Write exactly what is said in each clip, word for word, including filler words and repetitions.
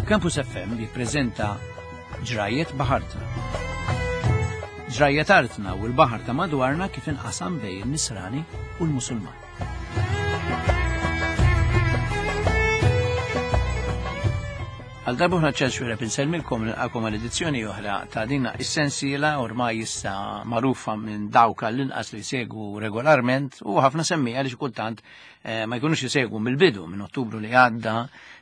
Campus F M jippreżenta Ġrajiet Baħartna. Ġrajiet artna u l-baħar ta' madwarna kif inqasam bejn in-Nisrani u l-Musulman. Għal darba ċans xwira pinselmilkom nilqakom għal edizzjoni oħra ta' din is-sensiela ormai issa magħrufa minn dawk għall-inqas li jsegwu regolarment u ħafna semmija li xi kultant, eh, ma jkunux isegwu mill-bidu minn Ottubru li għadda,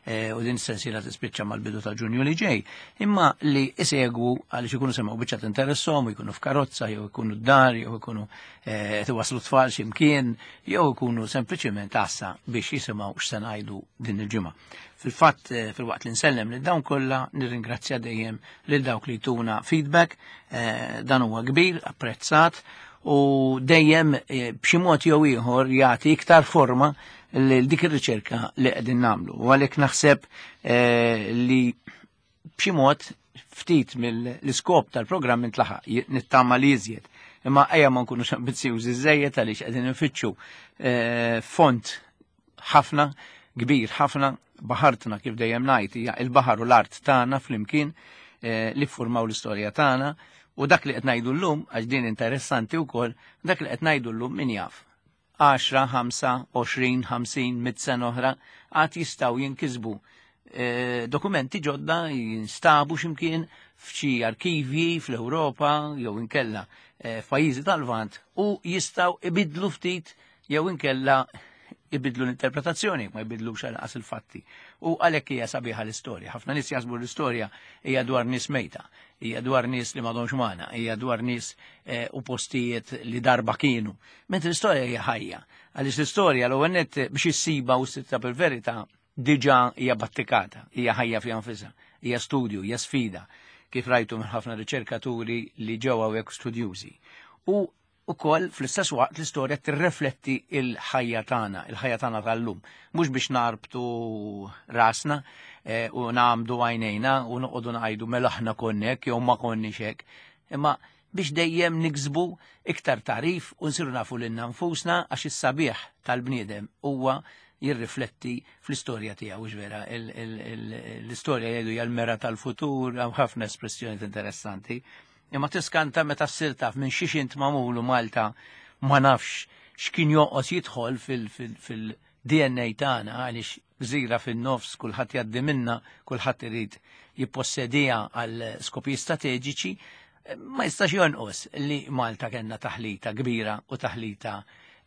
eh, u din is-sensiela tispiċċa mal-bidu ta' Ġunju li ġej, imma li isegwu għaliex ikunu semgħu biċċa tinteresshom, jkunu f'karozza, jew ikunu d-dar, jew ikunu, eh, tiwaslu tfal xi mkien, jew ikunu sempliċiment għassa biex jisimgħu x'se ngħidu din il-ġimgħa. Fil-fatt, eh, fil-waqt li nsellem lil dawn kollha, nirringrazzja dejjem lil dawk li tuna feedback, eh, dan huwa kbir, apprezzat, u dejjem, eh, b'xi mod jew ieħor jagħti iktar forma lil dik ir-riċerka li qegħdin nagħmlu. U għalhekk naħseb, eh, li b'xi mod ftit mill-iskop tal-programm intlaħaq, j-, nittama li iżjed. Imma ejja ma nkunux ambizzjużi żejjed għaliex qegħdin infittxu, eh, font ħafna, kbir ħafna, baħartna kif dejjem ngħid hija il-baħar u l-art tagħna flimkien, eh, li ffurmaw l-istorja tagħna, u dak li qed ngħidu llum, għax din interessanti wkoll, dak li qed ngħidu llum min jaf. Għaxra, ħamsa, għoxrin, ħamsin, mitt sena oħra għad jistgħu jinkisbu, eh, dokumenti ġodda jinstabu x'imkien f'xi arkivji fl-Ewropa jew inkella, eh, f'pajjiżi tal-Lvant u jistgħu ibidlu ftit jew inkella ibidlu l-interpretazzjoni, ma jbidlux għal il-fatti. U għalhekk hija sabiħa l-istorja. Ħafna nies jaħsbu l-istorja hija dwar nies mejta, hija dwar nies li m'għadhomx magħna, hija dwar nies, eh, u postijiet li darba kienu. Mentri l-istorja hija ħajja. Għaliex l-istorja l-ewwel nett biex issiba u ssibha bil-verità diġà hija battikata, hija ħajja fiha nfisha, hija studju, hija sfida, kif rajtu minn ħafna riċerkaturi li ġew hawnhekk studjużi. U ukoll fl-istess waqt l-istorja tirrefletti il-ħajja tagħna, il-ħajja tagħna tal-lum. Mhux biex narbtu rasna, eh, u nagħmdu għajnejna u noqogħdu ngħidu mela aħna konna hekk jew ma konniex hekk, imma biex dejjem niksbu iktar tarif u nsiru nafu lilna nfusna għax is-sabiħ tal-bniedem huwa jirrifletti fl-istorja tiegħu, hux vera, il-, il-, il-, l-istorja jgħidu hija l-mera tal-futur, hemm ħafna espressjonijiet interessanti. Imma tiskanta meta ssir taf minn xiex int magħmulu Malta ma nafx x'kien joqgħod jidħol fil-, fil-, fil-D N A tagħna għaliex gżira fin-nofs kulħadd jgħaddi minna, kulħadd irid jippossediha għal skopijiet strateġiċi, ma jistax jonqos li Malta kellna taħlita kbira u taħlita,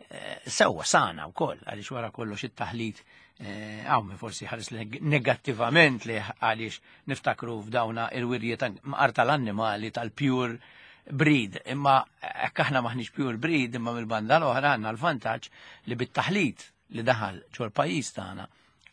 eh, sewwa sana wkoll għaliex wara kollox it-taħlit, eh, hawn min forsi ħares neg-, negattivament li għaliex niftakru f'dawna il-wirjiet ta' mqar tal-annimali tal-pure breed, imma hekk aħna maħniex pure breed, imma mill-banda l-oħra għandna l-vantaġġ li bit-taħlit li daħal ġol pajjiż tagħna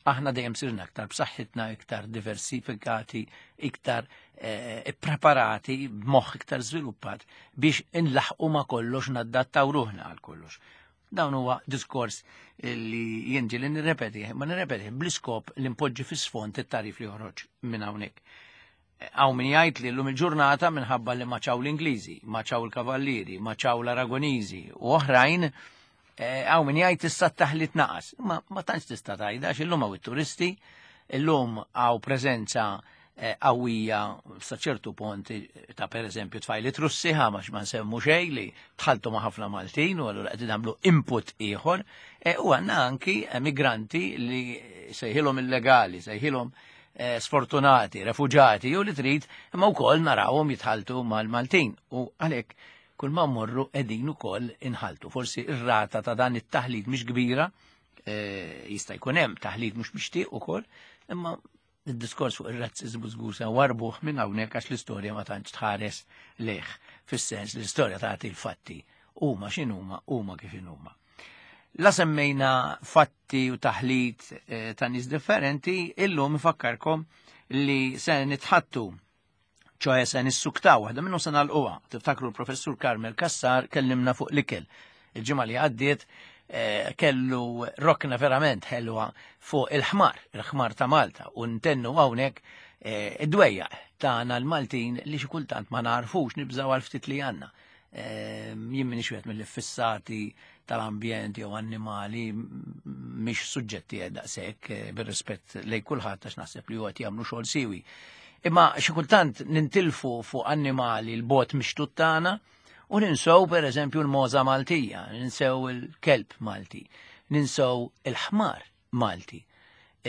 aħna dejjem sirna iktar b'saħħitna, iktar diversifikati, iktar, eh, ippreparati, b'moħħ iktar żviluppat biex inlaħqu ma' kollox, naddattaw ruħna għal kollox. Dawn huwa diskors li jien ġieli nirrepeti, ma nirrepeti bl-iskop li npoġġi fis-sfond it-tarif li joħroġ minn hawnhekk. Hawn min jgħid li llum il-ġurnata minħabba li ma ċaw l-Ingliżi, ma ċaw il-Kavallieri, ma ċaw l-Aragoniżi u oħrajn, eh, hawn min jgħid issa t-taħlit naqas. Ma, ma tantx tista' tgħidha għax illum hawn it-turisti, illum hawn preżenza, eh, qawwija sa ċertu punt ta' pereżempju tfajli Russi, ħa ma ma nsemmu xejn li tħaltu ma' ħafna Maltin u allura qed nagħmlu input ieħor, eh, u għandna anki emigranti li sejħilhom illegali, sejħilhom, eh, sfortunati, refuġati, jew li trid, imma wkoll narawhom jitħaltu mal-Maltin u għalhekk kull ma mmorru qegħdin ukoll inħaltu. Forsi ir-rata ta' dan it-taħlit mhix kbira, eh, jista' jkun hemm taħlit mhux mixtieq ukoll, imma id-diskors fuq ir-razziżmu żgur se warbuh minn hawnhekk għax l-istorja ma tantx tħares lejh, fis-sens li l-istorja tagħti l-fatti huma x'inhuma, huma kif inhuma. La semmejna fatti u taħlit, eh, ta' nies differenti, illum ifakkarkom li se nitħattu, ċoħe se nissuktaw, waħda minnhom se nagħlquha. Tiftakru l-professur Carmel Cassar kellimna fuq l-ikel. Il-ġimgħa li għaddiet, eh, kellu rokna verament ħelwa fuq il-ħmar, il-ħmar ta' Malta, u ntennu hawnhekk, eh, id-dwejjaq tagħna l-Maltin li xi kultant ma narfux nibżgħu għal ftit li għandna. Eh, jien m'iniex wieħed mill-iffissati tal-ambjent jew annimali, mhix suġġetti daqshekk eh, bir-rispett lejn kulħadd għax naħseb li huwa qed jagħmlu xogħol siwi. Imma xi kultant nintilfu fuq annimali l-bot mixtut tagħna u ninsew pereżempju l-moza Maltija, ninsew il-kelb Malti, ninsew il-ħmar Malti,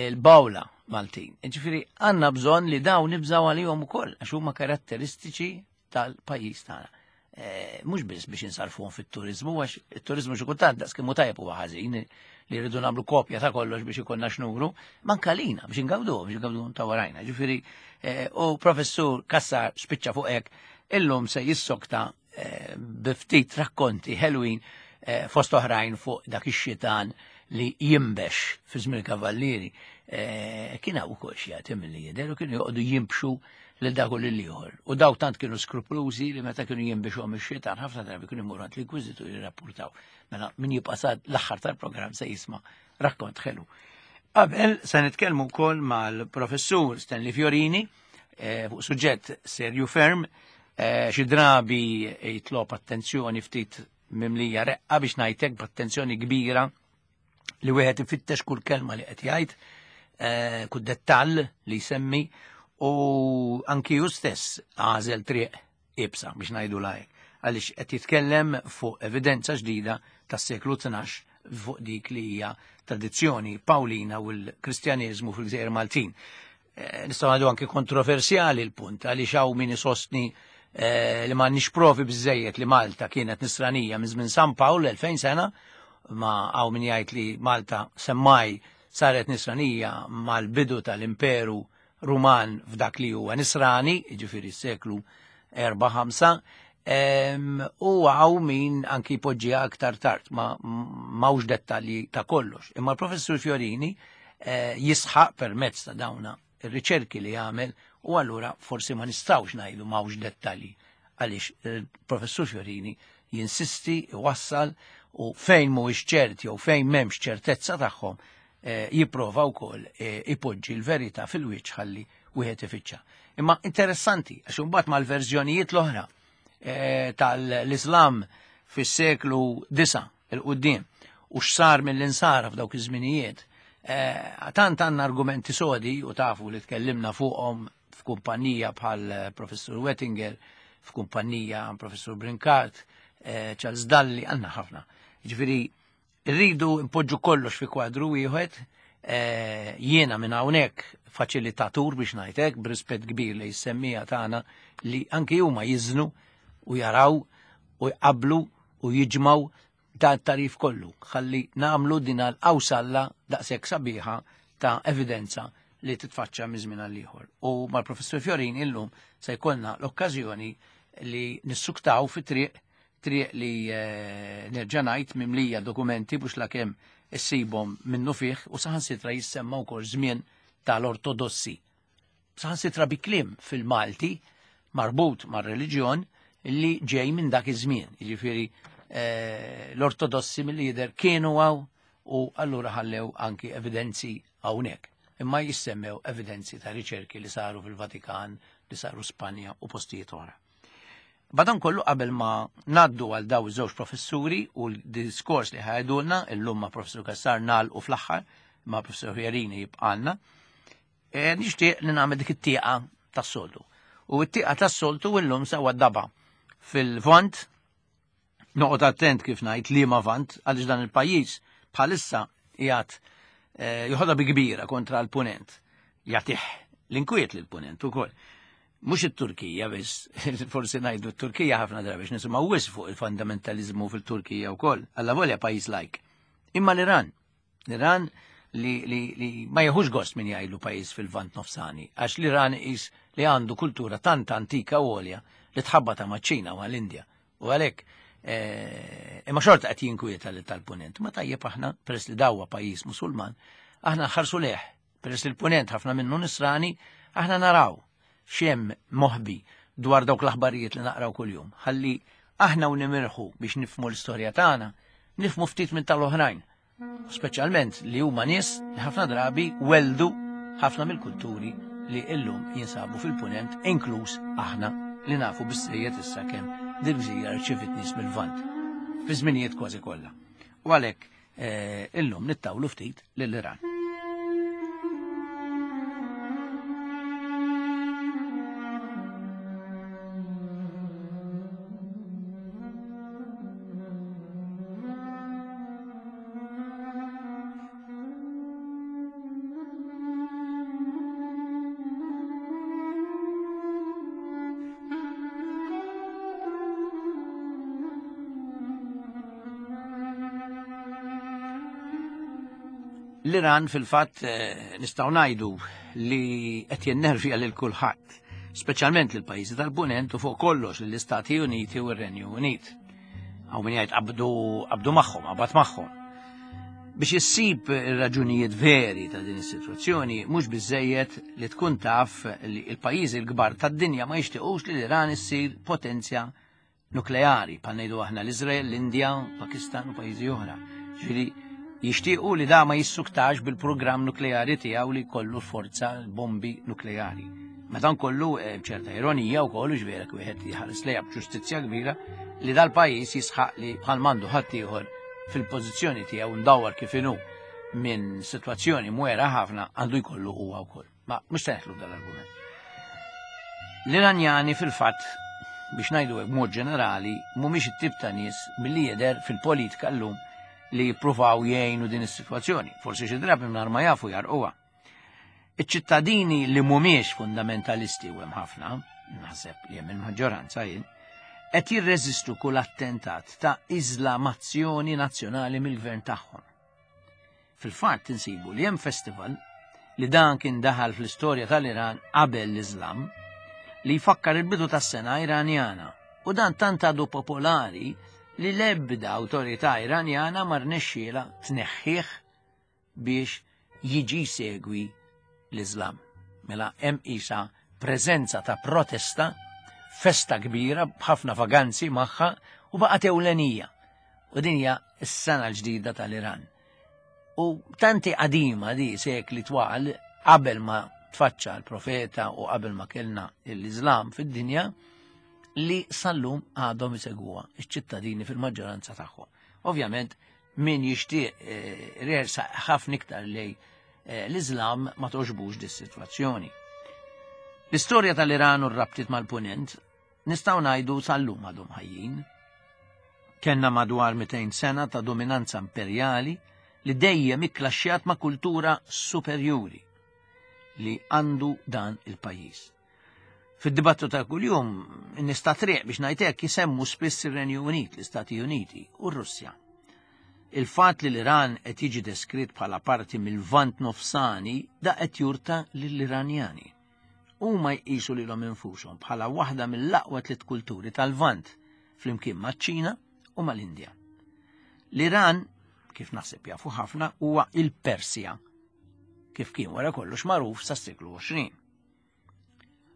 il-bawla Maltin. Ġifieri għandna bżonn li dawn nibżgħu għalihom ukoll għax huma karatteristiċi tal-pajjiż tagħna. Eh, mhux biss biex insarfuhom fit-turiżmu, għax it-turiżmu xi kultant daqs kemm hu tajjeb huwa ħażin li rridu nagħmlu kopja ta' kollox biex ikollna x'nuru, manka lina biex ingawduhom, biex ingawduhom ta' warajna. Ġifieri eh, u professur Cassar spiċċa fuq hekk illum se jissokta eh, bi ftit rakkonti ħelwin fost oħrajn fuq dak ix-xitan li jimbex fi żmien kavallieri. Kien hawn ukoll xi jagħti milli jidher u kienu joqogħdu jimbxu lil dak u lil ieħor. U daw tant kienu skruplużi li meta kienu jimbixhom ix-xitan ħafna drabi kienu jmorru għand l-inkwiżitur jirrapportaw. Mela min jibqa' sad l-aħħar tal-programm se jisma' rakkont ħelu. Qabel se nitkellmu wkoll mal-professur Stanley Fiorini fuq suġġett serju ferm, xi drabi jitlob attenzjoni ftit mimlija reqqa biex ngħidlek b'attenzjoni kbira li wieħed ifittex kull kelma li qed jgħid, kull dettall li jsemmi, u anki ju stess għażel triq ibsa biex ngħidu lajk, għaliex qed jitkellem fuq evidenza ġdida tas-seklu tnax fuq dik li hija tradizzjoni Pawlina u l-Kristjaneżmu fil-Gżejjer Maltin. Nistgħu ngħidu anki kontroversjali l-punt għaliex hawn min isostni li m'għandniex provi biżejjed li Malta kienet nisranija minn żmien San Pawl elfejn sena, ma hawn min jgħid li Malta semmaj saret nisranija mal-bidu tal-Imperu Ruman f'dak li huwa nisrani, jiġifieri s-seklu erba' ħamsa, u hawn min anki jpoġġiha aktar tard, ma m'hawnx dettalji ta' kollox. Imma l-professur Fiorini jisħaq permezz ta' dawna ir-riċerki li jagħmel u allura forsi ma nistgħux ngħidu m'hawnx dettalji għaliex il-professur Fiorini jinsisti, iwassal u fejn mhuwiex ċert jew fejn m'hemmx ċertezza tagħhom jipprova wkoll ipoġġi l-verità fil-wiċċ ħalli wieħed ifittxa. Imma interessanti għax imbagħad mal-verżjonijiet l-oħra tal-Islam fis-seklu disa' il-qudiem u x'sar mill-insara f'dawk iż-żminijiet, tant għandna argumenti sodi u tafu li tkellimna fuqhom f'kumpanija bħal professur Wettinger, f'kumpanija professur Brincat, Charles Dalli, għandna ħafna. Ġifieri rridu npoġġu kollox fi kwadru wieħed, jiena minn hawnhekk faċilitatur biex ngħidlek b'rispett kbir li jissemmija tagħna li anki huma jiżnu u jaraw u jqablu u jiġmaw dan tarif kollu, ħalli nagħmlu din l-qawsalla daqshekk sabiħa ta' evidenza li titfaċċa minn żmien għal ieħor. U mal-professur Fiorini illum se jkollna l-okkażjoni li nissuktaw fi triq triq li nerġa' ngħid mimlija dokumenti biex lakemm issibhom minnu fih u saħansitra jissemma wkoll żmien tal-ortodossi. Saħansitra bi kliem fil-Malti marbut mar-reliġjon li ġej minn dak iż-żmien. Jiġifieri l-ortodossi mill-lider kienu għaw u allura ħallew anki evidenzi hawnhekk. Imma jissemmew evidenzi ta' riċerki li saru fil-Vatikan, li saru Spanja u postijiet oħra. Badan kollu qabel ma naddu għal daw iż-żewġ professuri u l-diskors li ħajdulna, illum ma' professur Cassar nal u fl-aħħar, ma' professur Fiorini jibqalna, e, nixtieq li nagħmel dik it-tieqa tas-soltu. U t-tieqa tas-soltu illum sewa daba fil-vant, noqgħod attent kif ngħid liema vant, għaliex dan il-pajjiż bħalissa qiegħed joħodha bi kbira kontra l-punent, jagħtih l-inkwiet lill-punent ukoll. Mhux it-Turkija biss, forsi ngħidu t-Turkija ħafna drabi biex nisimgħu wisq fuq il-fundamentaliżmu fil-Turkija wkoll, alla volja pajjiż lajk. Imma l-Iran, l-Iran li, li, li ma jieħux gost min jgħidlu pajjiż fil-Vant Nofsani, għax l-Iran is li għandu kultura tant antika u għolja li tħabbata maċ-Ċina u għall-Indja. U għalhekk imma xorta qed jinkwieta li tal-punent. Ma tajjeb aħna, peress li dawwa pajjiż Musulman, aħna nħarsu leħ, peress li l-punent ħafna minnu nisrani, aħna naraw xem moħbi dwar dawk l-aħbarijiet li naqraw kuljum. Ħalli aħna u nimirħu biex nifmu l-istorja tagħna, nifmu ftit minn tal-oħrajn. Speċjalment li huma nies li ħafna drabi weldu ħafna mill-kulturi li illum jinsabu fil-punent, inkluż aħna li nafu bis-sejjed issa kemm dil-gżira rċivit nies mill-Lvant fi żminijiet kważi kollha. U għalhekk Illum nittawlu ftit lill-Iran. L-Iran fil-fatt nistgħu ngħidu li qed jennervja lil kulħadd, speċjalment lil pajjiżi tal-Punent u fuq kollox lill-Istati Uniti u r-Renju Unit. Hawn min jgħid qabdu qabdu magħhom, qabad magħhom. Biex issib ir-raġunijiet veri ta' din is-sitwazzjoni mhux biżejjed li tkun taf li l-pajjiżi l-kbar tad-dinja ma jixtiequx li l-Iran issir potenzja nukleari, bħal ngħidu aħna l-Iżrael, l-Indja, Pakistan u pajjiżi oħra. Ġifieri jixtiequ li da ma jissuktax bil-programm nukleari tiegħu li jkollu forza bombi nukleari. Madankollu ċerta ironija wkoll ġvera wieħed jħares lejha b'ġustizzja kbira li dal-pajjiż jisħaq li bħal m'għandu ħadd ieħor fil-pożizzjoni tiegħu ndawwar kif inhu minn sitwazzjoni mwera ħafna għandu jkollu huwa wkoll. Ma mhux se neħlu dal-argument. L-Iranjani fil-fatt biex ngħidu hekk b'mod ġenerali mhumiex it-tip ta' nies milli jidher fil-politika llum li jippruvaw jgħinu din is-sitwazzjoni, forsi xi drabi mingħajr ma jafu jarquha. Iċ-ċittadini li mhumiex fundamentalisti u hemm ħafna, naħseb li hemm il-maġġoranza jien, qed jirreżistu kull attentat ta' iżlamazzjoni nazzjonali mill-gvern tagħhom. Fil-fatt insibu li hemm festival li dan kien daħal fl-istorja tal-Iran qabel l-Iżlam li jfakkar il-bidu tas-sena Iranjana u dan tant għadu popolari li l-ebda awtorità Iranjana ma rnexxielha tneħħih biex jiġi segwi l-Iżlam. Mela hemm isa preżenza ta' protesta, festa kbira b'ħafna vaganzi magħha u baqgħet ewlenija. U din hija s-sena l-ġdida tal-Iran. U tanti qadima di sekli twal qabel ma tfaċċa l-profeta u qabel ma kellna l-Iżlam fid-dinja li sal-lum għadhom isegwuha iċ-ċittadini fil-maġġoranza tagħhom. Ovvjament min jixtieq rersa ħafna iktar lej l-Iżlam ma toġbux dis-sitwazzjoni. L-istorja tal-Iran u r-rabtiet mal-Punent nistgħu ngħidu sal-lum għadhom ħajjin. Kellna madwar mitejn sena ta' dominanza imperjali li dejjem ikklaxxjat ma' kultura superjuri li għandu dan il-pajjiż. Fid-dibattu ta' kuljum, in-nies ta' triq biex ngħid hekk jisemmu spiss ir-Renju Unit, l-Istati Uniti u r-Russja. Il-fatt li l-Iran qed jiġi deskritt bħala parti mill-Lvant Nofsani da qed jurta lill-Iranjani. Huma jqisu lilhom infushom bħala waħda mill-aqwa tliet kulturi tal-Lvant flimkien maċ-Ċina u mal-Indja. L-Iran, kif naħseb jafu ħafna, huwa il-Persja, kif kien wara kollox magħruf sas-seklu għoxrin.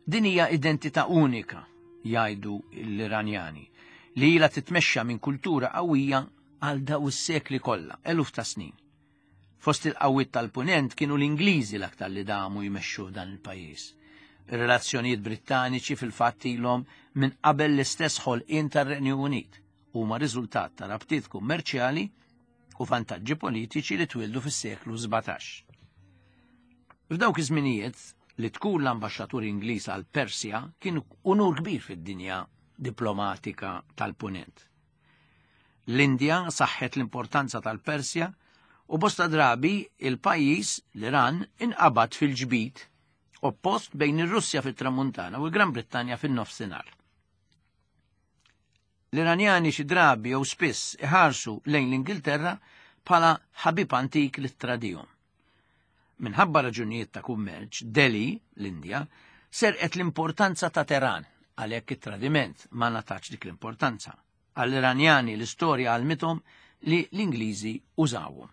Din hija identità unika, jgħidu l-Iranjani, li ilha titmexxa minn kultura qawwija għal daw is-sekli kollha, eluf ta' snin. Fost il-qawwiet tal-Punent kienu l-Ingliżi l-aktar li damu jmexxu dan il-pajjiż. Ir-relazzjonijiet Brittaniċi fil-fatt ilhom minn qabel l-istess ħolqien tar-Renju Unit huma riżultat ta' rabtiet kummerċjali u vantaġġi politiċi li twildu fis-seklu sbatax. F'dawk iż-żminijiet li tkun l-ambaxxatur Ingliż għal Persja kien unur kbir fid-dinja diplomatika tal-Punent. L-Indja saħħet l-importanza tal-Persja u bosta drabi il-pajjiż l-Iran inqabad fil-ġbid oppost bejn ir-Russja fit-Tramuntana u l-Gran Brittanja fin-nofsinhar. L-Iranjani xi drabi jew spiss iħarsu lejn l-Ingilterra bħala ħabib antik li tradihom. Minħabba raġunijiet ta' kummerċ, Delhi, l-Indja, serqet l-importanza ta' Teheran, għalhekk it-tradiment ma ngħatax dik l-importanza. Għall-Iranjani l-istorja għalmithom li l-Ingliżi użawhom.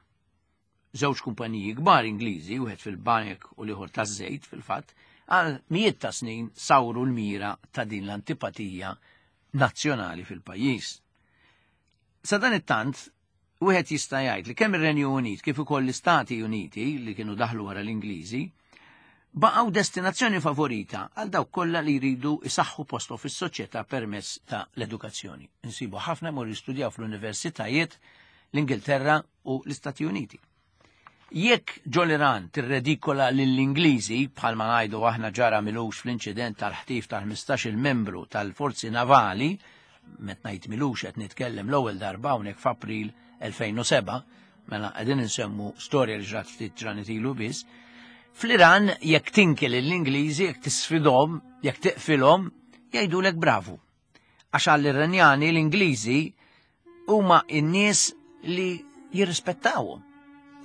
Żewġ kumpaniji kbar Ingliżi, wieħed fil-banek u l-ieħor taż-żejt fil-fatt, għal mijiet ta' snin sawru l-mira ta' din l-antipatija nazzjonali fil-pajjiż. Sa dan it-tant, wieħed jista' jgħid li kemm ir-Renju Unit kif ukoll l-Istati Uniti li kienu daħlu wara l-Ingliżi baqgħu destinazzjoni favorita għal dawk kollha li jridu isaħħu posthom fis-soċjetà permezz ta' l-edukazzjoni. Insibu ħafna mor jistudjaw fl-universitajiet l-Ingilterra u l-Istati Uniti. Jekk ġol-Iran tirredikola lill-Ingliżi, bħalma ngħidu aħna ġara milux fl-inċident tal-ħtif tal-ħmistax-il membru tal-forzi navali, met ngħid milux qed nitkellem l-ewwel darba hawnhekk f'April elfejn u seba', mela qegħdin insemmu storja li ġrat ftit ġranet ilu biss, fl-Iran jekk tinki lill-Ingliżi, jekk tisfidhom, jekk tiqfilhom, jgħidulek bravu. Għax għall-Iranjani l-Ingliżi huma n-nies li jirrispettawhom.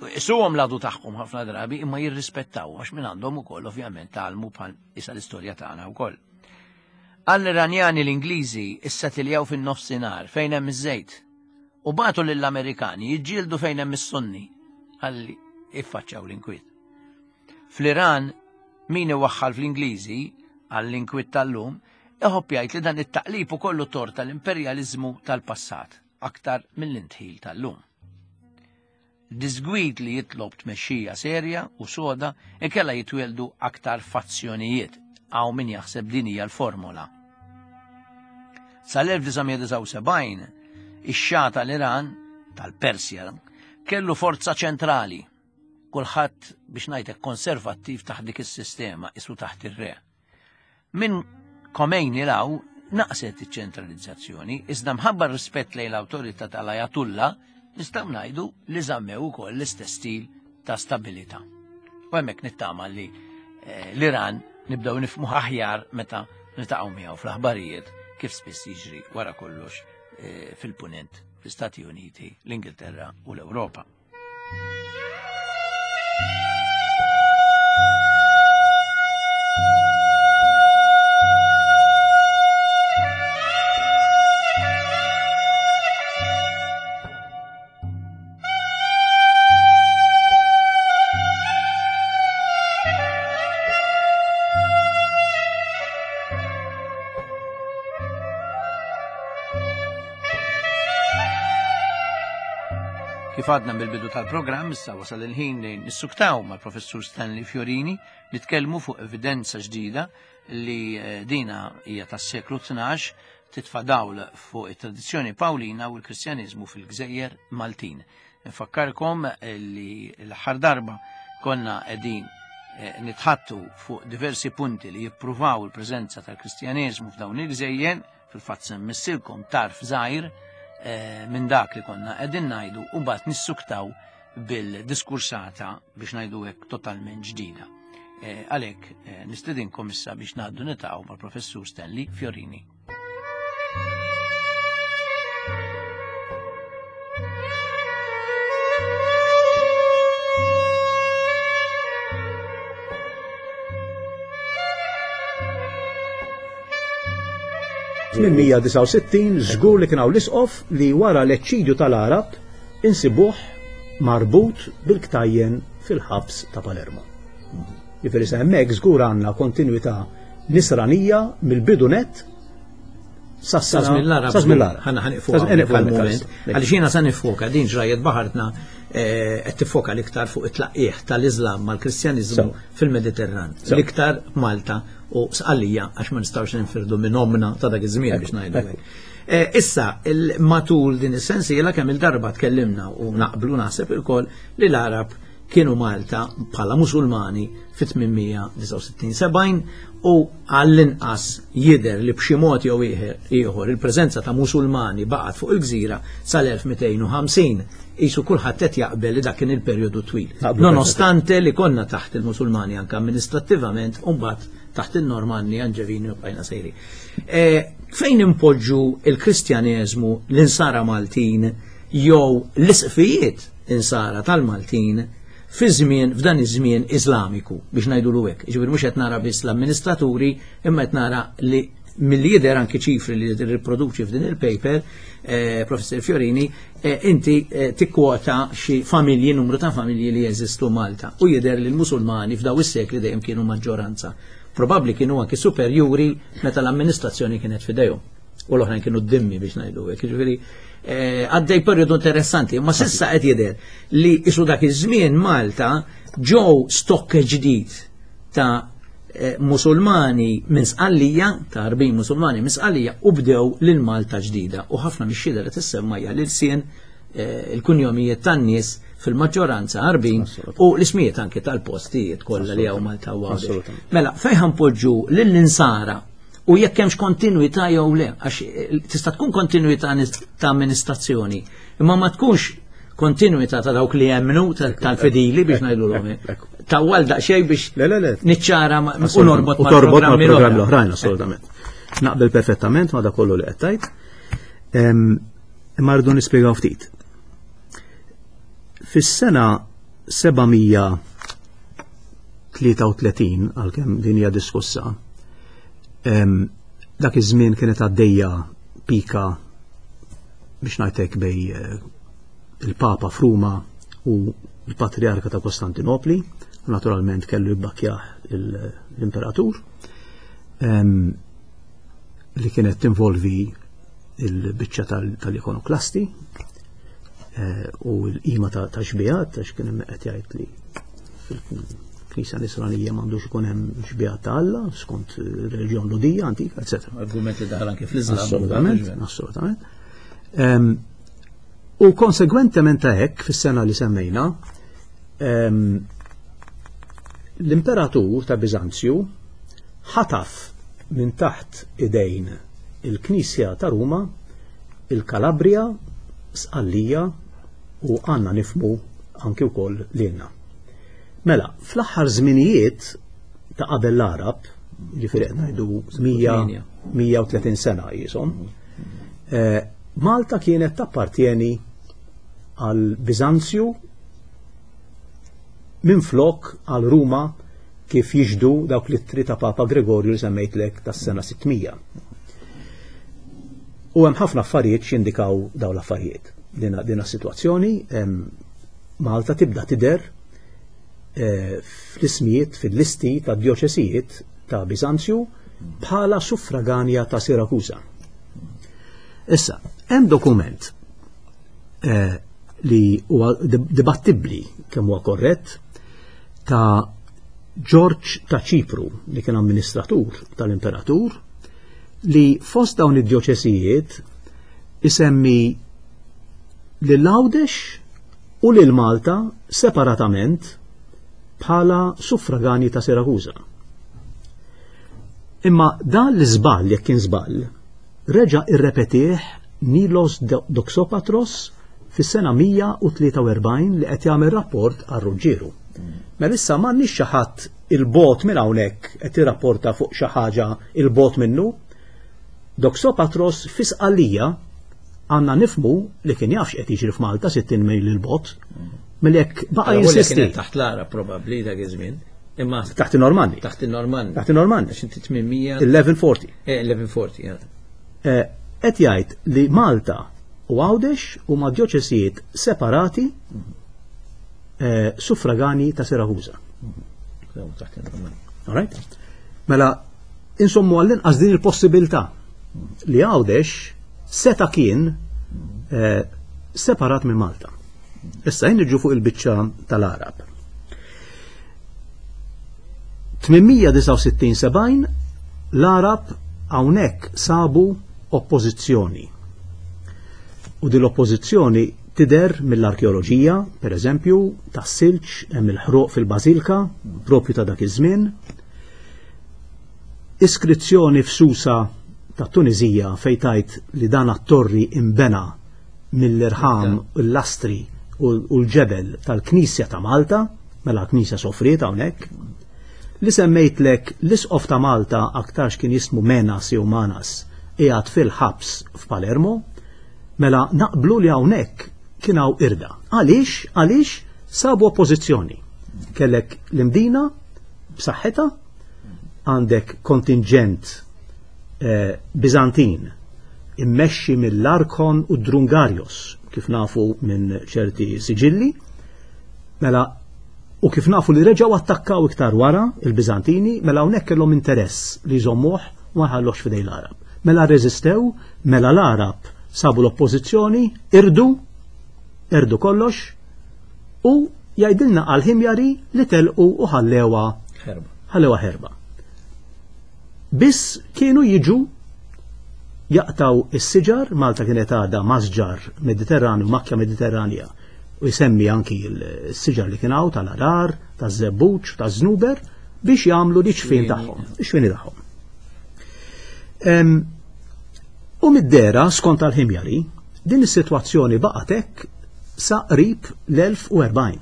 Isuhom l-għadu tagħhom ħafna drabi, imma jirrispettawhom għax minn għandhom ukoll ovvjament tgħallmu bħal issa l-istorja tagħna wkoll. Għall-Iranjani l-Ingliżi issetiljaw fin-nofsinhar fejn hemm iż-żejt u bagħtu lill-Amerikani jiġġieldu fejn hemm is-Sunni ħalli iffaċċjaw l-inkwiet. Fl-Iran min iwaħħal fl-Ingliżi għall-inkwiet tal-lum iħobb jgħid li dan it-taqlib ukollu tort tal-imperjaliżmu tal-passat aktar mill-intħil tal-lum. Disgwid li jitlob tmexxija serja u soda ikella jitwieldu aktar fazzjonijiet għaw min jaħseb din hija l-formola. Sal-elf disa' mija disgħa u sebgħin, ix-Xah tal-Iran, tal-Persja, kellu forza ċentrali. Kulħadd biex ngħidlek konservattiv taħt dik is-sistema, isu taħt ir-re. Minn Khomeini law naqset iċ-ċentralizzazzjoni, iżda mħabba rispett lejn l-awtorità tal-Ayatollah, nistgħu ngħidu li żammew ukoll l-istess stil ta' stabilità. U hemmhekk nittama li, eh, l-Iran nibdew nifhmu aħjar meta niltaqgħu miegħu fl-aħbarijiet kif spiss jiġri wara kollox, eh, fil-Punent, fl-Istati Uniti, l-Ingilterra u l-Ewropa. Kif għadna mill-bidu tal-programm, issa wasal il-ħin li nissuktaw mal-Professur Stanley Fiorini, nitkellmu fuq evidenza ġdida li, eh, dina hija tas-seklu tnax, titfa' dawl fuq it-tradizzjoni Pawlina u l-Kristjaniżmu fil-Gżejjer Maltin. Nfakkarkom li l-aħħar darba konna qegħdin, eh, nitħattu fuq diversi punti li jippruvaw il-preżenza tal-Kristjaniżmu f'dawn il-gżejjer, fil-fatt semmissilkom tarf żgħir, eh, minn dak li konna qegħdin ngħidu u mbagħad nissuktaw bil-diskursata biex ngħidu hekk totalment ġdida. Eh, għalhekk, eh, nistedinkom issa biex ngħaddu nitaqgħu mal-Professur Stanley Fiorini. tmien mija disgħa u sittin żgur li kien hawn l-isqof li wara l-eċċidju tal-Arab insibuh marbut bil-ktajjen fil-ħabs ta' Palermo. Jiġifieri sa hemmhekk żgur għandna kontinwità nisranija mill-bidu net sa Sa żmien l-Arab. Sa żmien l-Arab. Ħana ħaniqfu Sa żmien hawnhekk l-Arab. għal-moment. Għaliex jiena sa nifoka din ġrajiet baħartna, eh, qed tifoka l-iktar fuq it-tlaqqieħ tal-Iżlam mal-Kristjaniżmu Sew. fil-Mediterran. Sew. L-iktar Malta u Sqallija għax ma nistgħux ninfirdu minn omna ta' dak iż-żmien biex ngħidu hekk. Eh, issa, il-, matul din is-sensiela kemm il-darba tkellimna u naqblu naħseb ilkoll li l-Arab kienu Malta bħala Musulmani fit-tmien mija disgħa u sittin sebgħin u għall-inqas jidher li b'xi mod jew ieħor, ieħor il-preżenza ta' Musulmani baqgħet fuq il-gżira sal-elf mitejn u ħamsin. Isu kulħadd qed jaqbel li dak kien il-perjodu twil. Naqblu Nonostante li konna taħt il-Musulmani anke amministrattivament u mbagħad taħt il-Normanni, Anġevini u bqajna sejri. Eh, fejn impoġġu il-Kristjaneżmu, l-insara Maltin jew l-isqfijiet insara tal-Maltin fi żmien, f'dan iż-żmien Iżlamiku, biex ngħidulu hekk. Jiġifieri mhux qed nara biss l-amministraturi, imma qed nara li milli jidher anki ċifri li tirriproduċi f'din il-paper, eh, Professor Fiorini, eh, inti, eh, tikkwota xi familji, numru ta' familji li jeżistu Malta u jidher li l-Musulmani f'daw is-sekli dejjem kienu maġġoranza. Probabbli kienu anki superjuri meta l-amministrazzjoni kienet f'idejhom. U l-oħrajn kienu d-dimmi biex ngħidu hekk. Jiġifieri, eh, għaddej perjodu interessanti, imma s'issa qed jidher li isu dak iż-żmien Malta ġew stokk ġdid ta', eh, Musulmani minn Sqallija, ta' Arbin Musulmani minn Sqallija, u bdew lil Malta ġdida. U ħafna mix-xhieda li tissemma hija l-ilsien, il-kunjomijiet tan-nies fil-maġġoranza Għarbin u l-ismijiet anke tal-postijiet kollha li hawn Malta u Għawdex. Mela, fejn ħanpoġġu lill-insara u jekk hemmx kontinwità jew le, għax tista' tkun kontinwità ta' amministrazzjoni, imma ma tkunx kontinwità ta' dawk li jemmnu tal-fedili biex ngħidulhom. Tawwal daqsxejn biex niċċara u norbot ma' programmi l-oħrajn, assolutament. Naqbel perfettament ma' dak kollu li qed tgħid. Imma rridu nispjegaw ftit. Fis-sena seba' mija tlieta u tletin, għalkemm din hija diskussa, dak iż-żmien kienet għaddejja pika biex ngħidlek bej il-Papa f'Ruma u l-Patriarka ta' Kostantinopli, naturalment kellu jibbakkjah l-imperatur, li kienet tinvolvi il-biċċa tal-ikonoklasti u l-qima ta' xbijat, għax kien hemm qed jgħid li fil-Knisja Nisranija m'għandux ikun hemm xbijat ta' Alla skont reliġjon Lhudija antika, eċetera. Argument li daħal anke fl-Iżlam. Assolutament, assolutament. U konsegwentement ta' hekk fis-sena li semmejna, l-imperatur ta' Biżanzju ħataf minn taħt idejn il-Knisja ta' Ruma, il-Kalabria, Sqallija u għanna nifmu anki wkoll lilna. Mela, fl-aħħar żminijiet ta' qabel l-Arab, ġifieri qed ngħidu mija u tletin sena jisom, Malta kienet tappartieni għal Biżanzju minflok għal Ruma kif jiġdu dawk l-ittri ta' Papa Gregorju li semmejtlek tas-sena sitt mija. U hemm ħafna affarijiet x'jindikaw dawn l-affarijiet. Dina, dina s-sitwazzjoni, Malta tibda tidher eh, fl-ismijiet, fil-listi ta' dioċesijiet ta' Biżanzju bħala suffraganja ta' Sirakusa. Issa, hemm dokument eh, li huwa dibattibbli kemm huwa korrett ta' Ġorġ ta' Ċipru li kien amministratur tal-imperatur li fost dawn id-dioċesijiet isemmi lil Għawdex u lil Malta separatament bħala suffragani ta' Sirakusa. Imma dan l-iżball, jekk kien żball, reġa' irrepetih Nilos Doxopatros fis-sena mija u tlieta u erbgħin li qed jagħmel rapport għal Ruġġieru. Mela issa m'għandniex xi ħadd il-bot minn hawnhekk qed jirrapporta fuq xi ħaġa il-bot minnu. Doxopatros fi Sqallija għandna nifmu li kien jaf x'qed jiġri f'Malta sittin mil il-bot. Mela jekk baqa' Allora, jinsisti. Kienet taħt l-Arab probabbli dak iż-żmien. Imma taħt in-Normanni. Taħt in-Normanni. Taħt in-Normanni. Għax inti tmien mija eleven forty. Eh, eleven forty, ja. Eh, qed jgħid li Malta u Għawdex huma dioċesijiet separati, eh, suffragani ta' Sirakusa. Taħt in-Normanni. All right? Mela, insommu għall-inqas din il-possibilità li Għawdex seta' kien, eh, separat minn Malta. Issa jien niġu fuq il-biċċa tal-Arab. tmien mija disgħa u sittin sebgħin l-Arab hawnhekk sabu oppożizzjoni. U din l-oppożizzjoni tidher mill-arkeoloġija, per eżempju, tas-silġ hemm il-ħruq fil-Bażilka, propju ta' dak iż-żmien. Iskrizzjoni f'Susa ta' Tunizija fejn tajt li dan at-torri imbena mill-irħam, l-lastri u l-ġebel tal-Knisja ta' Malta, mela l-Knisja sofriet hawnhekk. Li semmejtlek l-Isqof ta' Malta aktarx kien jismu Menas jew Manas qiegħed fil-ħabs f'Palermo, mela naqblu li hawnhekk kien hawn irda. Għaliex? Għaliex sabu oppożizzjoni. Kellek l-Imdina b'saħħitha, għandek kontingent, eh, Bizantin immexxi mill-Arkon u Drungarios, kif nafu minn ċerti siġilli, mela u kif nafu li reġgħu attakkaw iktar wara il-Bizantini, mela hawnhekk kellhom interess li jżommuh u ma jħalluhx f'idej l-Arab. Mela rreżistew, mela l-Arab sabu l-oppożizzjoni, irdu, irdu kollox, u jgħidilna għal-Ħimjari li telqu u ħallewha ħerba. ħallewha ħerba. Biss kienu jiġu Jaqtaw is-siġar, Malta kienet għadha masġar Mediterranju, makkja Mediterranja, u jsemmi anki s-siġar li kien hawn tal-arar, taż-żebbuġ, taż-żnuber, biex jagħmlu l-iċfien tagħhom, ix-xwieni tagħhom. U mid-dera, skont tal-Ħimjari, din is-sitwazzjoni baqgħet hekk sa qrib l-elf u erbgħin.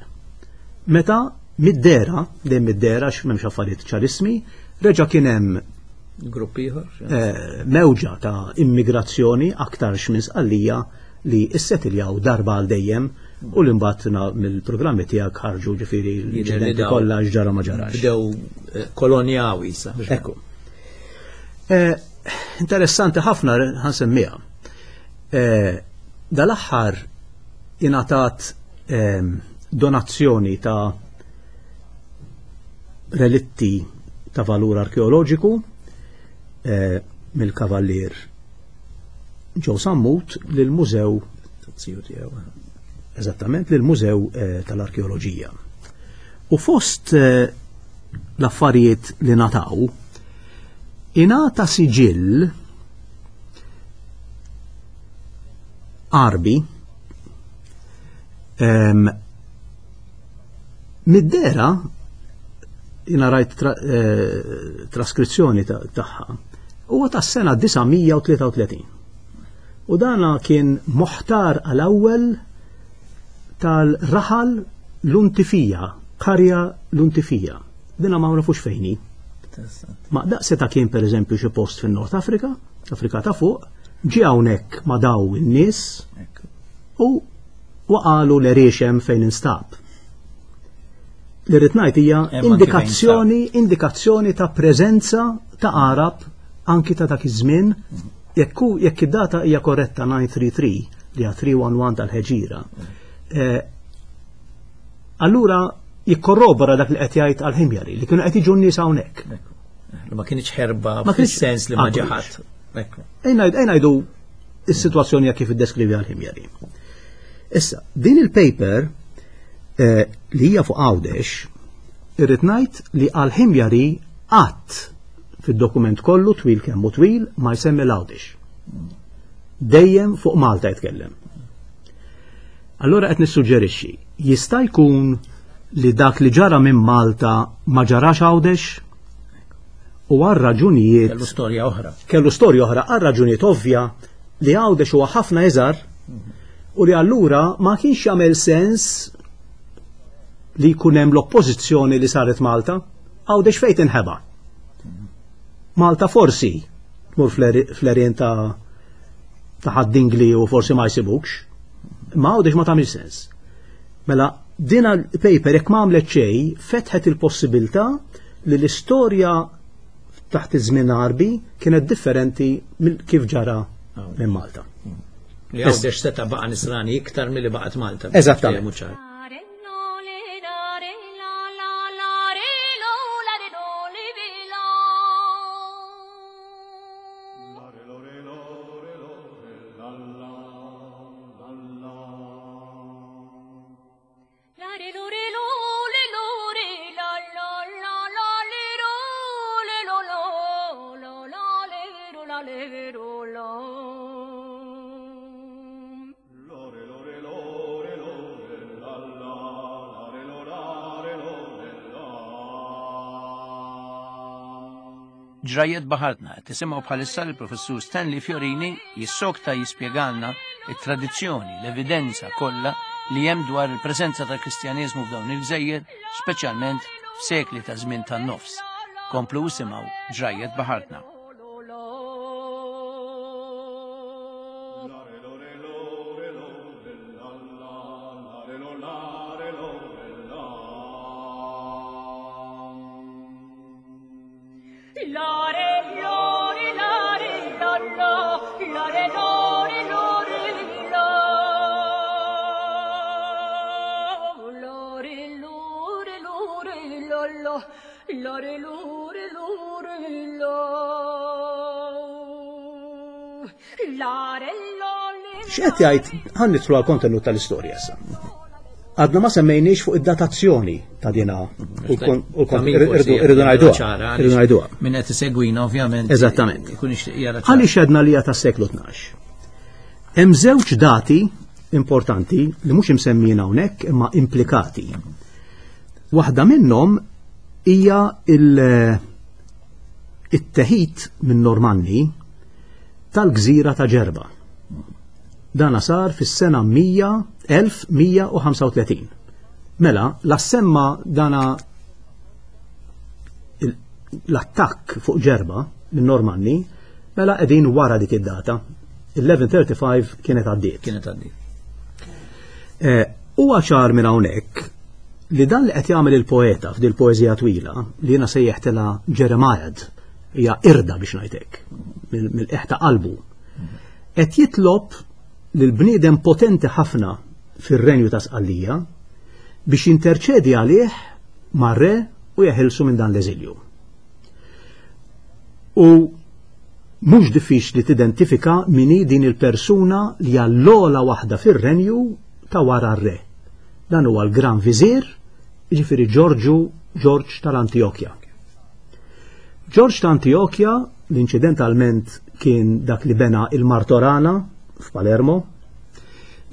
Meta mid-dera, dejjem mid-dera x'm'hemmx affarijiet ċarissmi, reġa' kien hemm grupp ieħor, eh, mewġa ta' immigrazzjoni aktarx minn Sqallija li issetiljaw darba għal dejjem u li mbagħad mill-programmi tiegħek ħarġu ġifieri l-inċidenti kollha x'ġara ma ġarax. Bdew eh, kolonjaw issa. Ekku. Eh, interessanti ħafna ħansemmiha. Eh, dal-aħħar ingħatat eh, donazzjoni ta' relitti ta' valur arkeoloġiku eh, mill-kavallier Joe Sammut lill-mużew eżattament lill-mużew eh, tal-arkeoloġija. U fost eh, l-affarijiet li nataw, ingħata siġill Għarbi ehm, mid-dera jina rajt tra, eh, traskrizzjoni tagħha huwa tas-sena disa' mija u tlieta u tletin. U dana kien moħtar għal-ewwel tal-raħal Luntifija, karja Luntifija. Dina ma nafux fejni. Ma daqs seta' kien pereżempju xi post fin-Nord Afrika, Afrika ta' fuq, ġie hawnhekk ma' daw in-nies u waqalu l-eriexem fejn instab. Li rrid ngħid hija indikazzjoni, indikazzjoni ta' preżenza ta' Arab anki ta' dak iż-żmien, jekk jekk id-data hija korretta nine three three li hija three one one tal-Ħeġira. Eh, allura jikkorrobora dak li qed jgħid għal-Ħimjari li kienu qed jiġu n-nies hawnhekk. Ma kienx ħerba Ma kienx fis-sens li ma Ah, ġie ħadd. Ekku. Ejn ngħidu s-sitwazzjoni hija kif iddeskrivi għal-Ħimjari. Issa, din il-paper, eh, li hija fuq Għawdex, irrid ngħid li għal-Ħimjari qatt fid-dokument kollu twil kemm hu twil ma jsemmi l-Għawdex. Dejjem fuq Malta jitkellem. Allora qed nissuġġerixxi, jista' jkun li dak li ġara minn Malta ma ġarax Għawdex? U għal raġunijiet Kellu storja oħra. Kellu storja oħra għal raġunijiet ovvja li Għawdex huwa ħafna iżgħar u li allura ma kienx jagħmel sens li jkun hemm l-oppożizzjoni li saret Malta. Għawdex fejn tinħeba? Malta forsi tmur fl-erien ta' ta' Ħad-Dingli u forsi ma jsibukx. Ma Għawdex ma tagħmilx sens. Mela din il-paper jekk ma għamlet xejn fetħet il-possibilità li l-istorja taħt iż-żmien Għarbi kienet differenti minn kif ġara minn Malta. Li Għawdex seta' baqa' nisrani iktar milli baqgħet Malta. Eżattament. Ġrajiet baħartna, tisimgħu bħalissa l-professur Stanley Fiorini jissokta jispjegalna it-tradizzjoni, l-evidenza kollha li hemm dwar il-preżenza tal-Kristjaneżmu f'dawn il-gżejjer, speċjalment f'sekli ta' żmien tan-nofs. Komplu isimgħu Ġrajiet baħartna. X'qed jgħid, ħa nidħlu għall-kontenut tal-istorja issa. Għadna ma semmejniex fuq id-datazzjoni ta' dina u irridu ngħiduha. Min qed isegwina ovvjament. Eżattament. Għaliex għedna li hija tas-seklu tnax? Hemm żewġ dati importanti li mhux imsemmijin hawnhekk imma implikati. Waħda minnhom hija il-teħid minn Normanni tal-gżira ta' Ġerba. Dana sar fis-sena elf mija u ħamsa u tletin. Mela, la semma dana l-attakk fuq Ġerba minn Normanni, mela qegħdin wara dik id-data. eleven thirty-five kienet għaddiet. Kienet għaddiet. Huwa ċar minn hawnhekk li dan li qed jagħmel il-poeta f'dil poeżija twila li jiena sejjeħtilha Jeremiad, hija irda biex ngħidlek, mill-qiegħ ta' qalbu, qed jitlob lil bniedem potenti ħafna fir-renju ta' Sqallija biex jinterċedi għalih mar-re u jeħilsu minn dan l-eżilju. U mhux diffiċli tidentifika min hi din il-persuna li hija l-ogħla waħda fir-renju ta' wara r-re. Dan huwa l-Gran Viżir, jiġifieri Ġorġu Ġorġ tal-Antjokja. Ġorġ ta' Antjokja, l-inċidentalment kien dak li bena il-Martorana f'Palermo,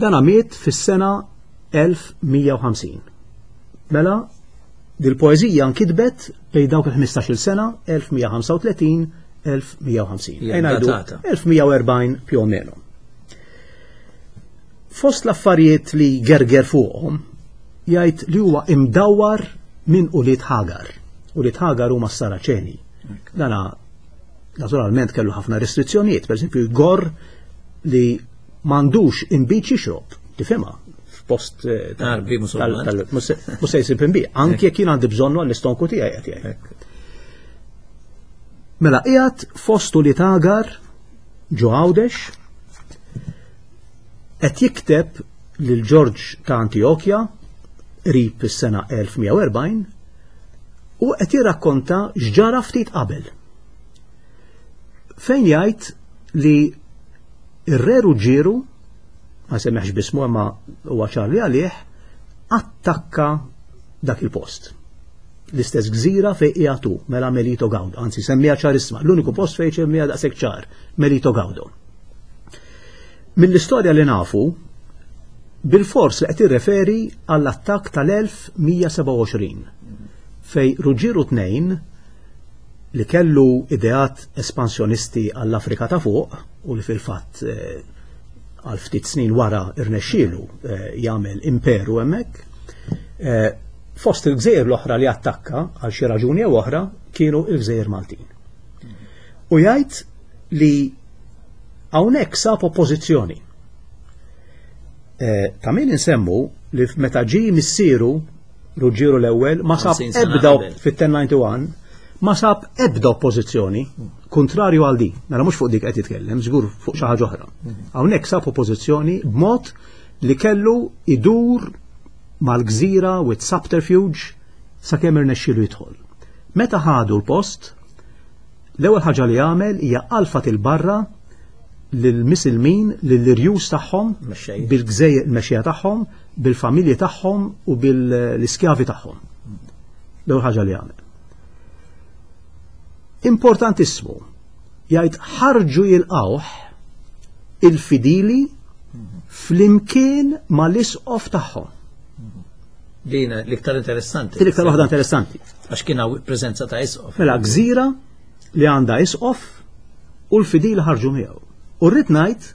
dan miet fis-sena elf mija u ħamsin. Mela, dil-poeżija nkitbet bejn dawk il-ħmistax-il sena, elf mija u ħamsa u tletin, elf mija u ħamsin. Hija Ejn ngħidu datata. elf mija u erbgħin più o meno. Fost l-affarijiet li gerger fuqhom, jgħid li huwa imdawwar minn ulied Ħagar. Ulied Ħagar huma s-Saraċeni. Dana naturalment kellu ħafna restrizzjonijiet, per esempio jgorr li m'għandux inbid jixrob, tifhimha, f'post, eh, tal- Għarbi musulman. tal-, tal-, mhux se-, mhux se jsib inbid, anke jekk jien għandi bżonnu għall-istonku tiegħi qed jgħid. Mela qiegħed fostu li Ħagar ġo Għawdex qed jikteb lil Ġorġ ta' Antjokja qrib is-sena elf mija u erbgħin u qed jirrakkonta x'ġara ftit qabel. Fejn jgħid li ir-re Ruġġieru, ma semmeħx bismu imma huwa ċar li għalih, attakka dak il-post. L-istess gżira fejn qiegħed hu, mela Melito Gawdo, anzi semmija ċarissima, l-uniku post fejn semmija daqshekk ċar, Melito Gawdo. Mill-istorja li nafu, bil-fors li qed irreferi għall-attakk tal-elf mija sebgħa u għoxrin, fej Ruġġieru tnejn li kellu ideat espansjonisti għall-Afrika ta' fuq u li fil-fatt, eh, għal ftit snin wara irnexxielu, eh, jagħmel imperu hemmhekk, eh, fost il-gżejjer l-oħra li attakka għal xi raġuni jew oħra kienu il-gżejjer Maltin. U jgħid li hawnhekk sab oppożizzjoni. Eh, ta' min insemmu li meta ġie missieru Ruġġieru l-ewwel ma sab Ħamsin sena ebda qabel. fit-ten ninety-one ma sab ebda oppożizzjoni kontrarju għal di. Mela mhux fuq dik qed jitkellem, żgur fuq xi ħaġa oħra. Hawnhekk sab oppożizzjoni b'mod li kellu idur mal-gżira with subterfuge sakemm irnexxielu jidħol. Meta ħadu l-post, l-ewwel ħaġa li għamel hija alfat il-barra lill-misilmin, lill-irjus tagħhom, Mexxejja. bil-gżejjer il-mexxejja tagħhom, bil-familji tagħhom u bil-iskjavi tagħhom. L-ewwel ħaġa li għamel. Importantissimu, jgħid ħarġu jilqawh il-fidili flimkien mal-isqof tagħhom. Din l-iktar interessanti. Din l-iktar waħda interessanti. Għax kien hawn preżenza ta' isqof. Mela gżira li għandha isqof u l-fidili ħarġu miegħu. U rrid ngħid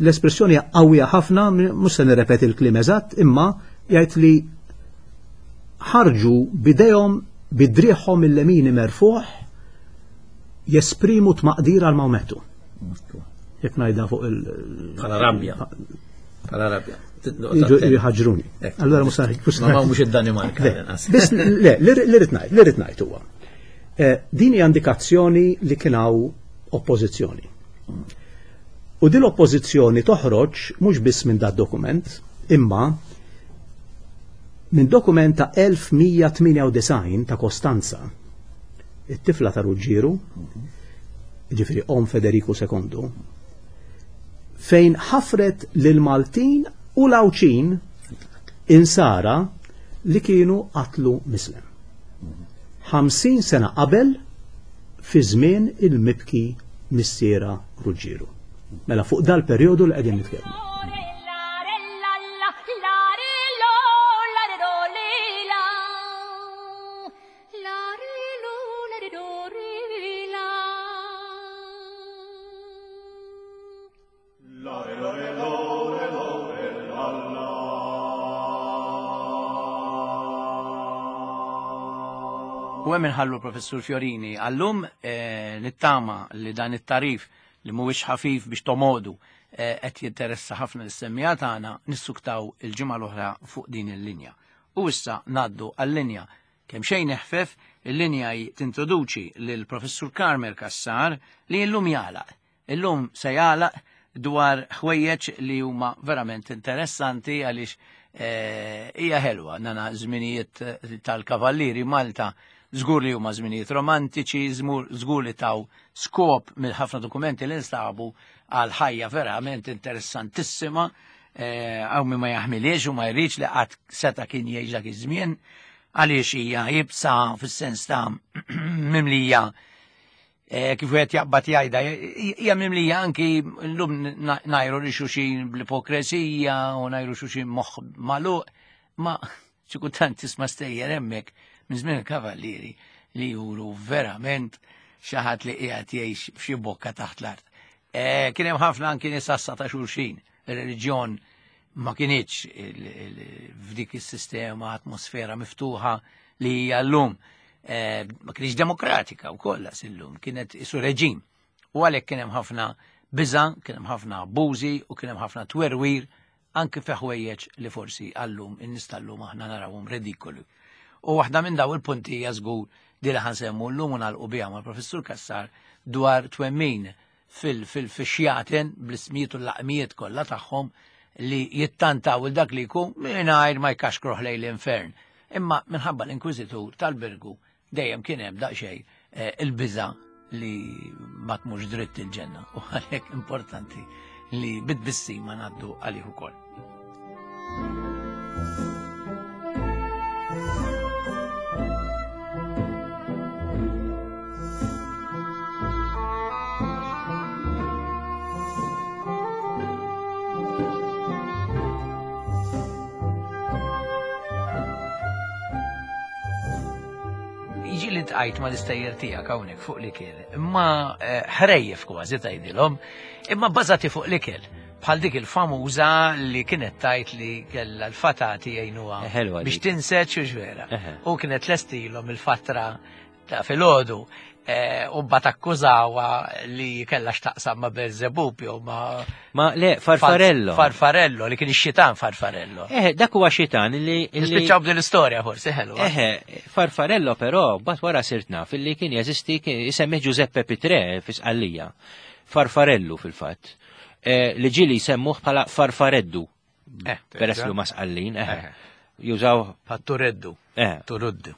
l-espressjoni qawwija ħafna, mhux se nirrepeti l-kliem eżatt, imma jgħid li ħarġu bidejhom bidriħhom il-lemini merfuħ jesprimu tmaqdir għal Mawmettu. Jekk ngħidha fuq il- Bħala rabja. Bħala rabja. Jiġu jħaġruni. Allora mhux se- mhux se- Ma mhux id-Danimarka, Le, lanqas. biss le, li rrid ngħid, li rrid ngħid huwa. Eh, din hija indikazzjoni li kien hawn oppożizzjoni. U din l-oppożizzjoni toħroġ mhux biss minn dat dokument, imma minn dokument ta' elf mija tmienja u disgħin ta' Kostanza, it-tifla ta' Ruġġieru, ġifieri om Federiku sekondu, fejn ħafret lil Maltin u l-Għawdxin Insara li kienu qatlu mislem. ħamsin sena qabel fi żmien il-mibki missiera Ruġġieru. Mela fuq dal-perjodu li qegħdin nitkellmu. U hemm inħallu Professur Fiorini għallum nittama li dan it-tarif li mhuwiex ħafif biex tomodu qed jinteressa ħafna lis-semmija tagħna nissuktaw il-ġimgħa l-oħra fuq din il-linja. U issa ngħaddu għal-linja kemm xejn eħfef, il-linja tintroduċi lil Professur Carmel Cassar li llum jagħlaq. Illum se jagħlaq dwar ħwejjeġ li huma verament interessanti għaliex hija ħelwa nana żminijiet tal-Kavallieri Malta. Żgur li huma żminijiet romantiċi, żgur li taw skop mill ħafna dokumenti li nstabu għal ħajja verament interessantissima, għaw min ma jaħmiliex u ma jridx li qatt seta' kien jgħix dak iż-żmien, għaliex hija jibsa fis-sens ta' mimlija kif wieħed jaqbad jgħidha, hija mimlija anki llum ngħajru li xulxin bl-ipokresija u ngħajru xulxin moħħ magħluq, ma xi kultant tisma' stejjer hemmhekk minn żmien il-Kavallieri li juru verament xi ħadd li qiegħed jgħix f'xi bokka taħt l-art. Kien hemm ħafna anki nies assa ta' xulxin, ir-reliġjon ma kinitx f'dik is-sistema atmosfera miftuħa li hija llum. Ma kienx demokratika wkoll illum, kienet isu reġim. U għalhekk kien hemm ħafna biża', kien hemm ħafna abbużi u kien hemm ħafna twerwir anki fi ħwejjeġ li forsi għallum in-nies tal-lum aħna narawhom redikoli. U waħda minn daw il-punti hija żgur di li ħansemmu llum u nagħlqu biha mal-Professur Cassar dwar twemmin fil-xjaten bl-ismijiet u l-laqmijiet kollha tagħhom li jittantaw il dak li jkun mingħajr ma jkaxkruh lejn l-infern. Imma minħabba l-Inkwiżitur tal-Birgu dejjem kien hemm daqsxejn il-biża' li ma tmurx dritt il-ġenna u għalhekk importanti li bit-tbissima ngħaddu għalih ukoll. Li tqajt ma l-istejjer tiegħek hawnhekk fuq l-ikel, imma ħrejjef kważi tgħidilhom, imma bbażati fuq l-ikel, bħal dik il-famuża li kienet tajt li kellha l-fatati jgħinuha biex tinseċ u x'vera. U kienet lestilhom il-fatra ta' filgħodu u mbagħad akkużawha li kellha x'taqsam ma' Belzebub jew ma' Ma le, Farfarello. Farfarello, li kien ix-xitan Farfarello. Eh, dak huwa xitan li Nispiċċaw b'din l-istorja forsi ħelwa. Eh, Farfarello però mbagħad wara sirt naf illi kien jeżisti isemmi Giuseppe Pitrè fi Sqallija. Farfarello fil-fatt. Li ġieli jsemmuh bħala Farfareddu. Peress li huma Sqallin, eh. Jużaw Fattureddu. Turuddu.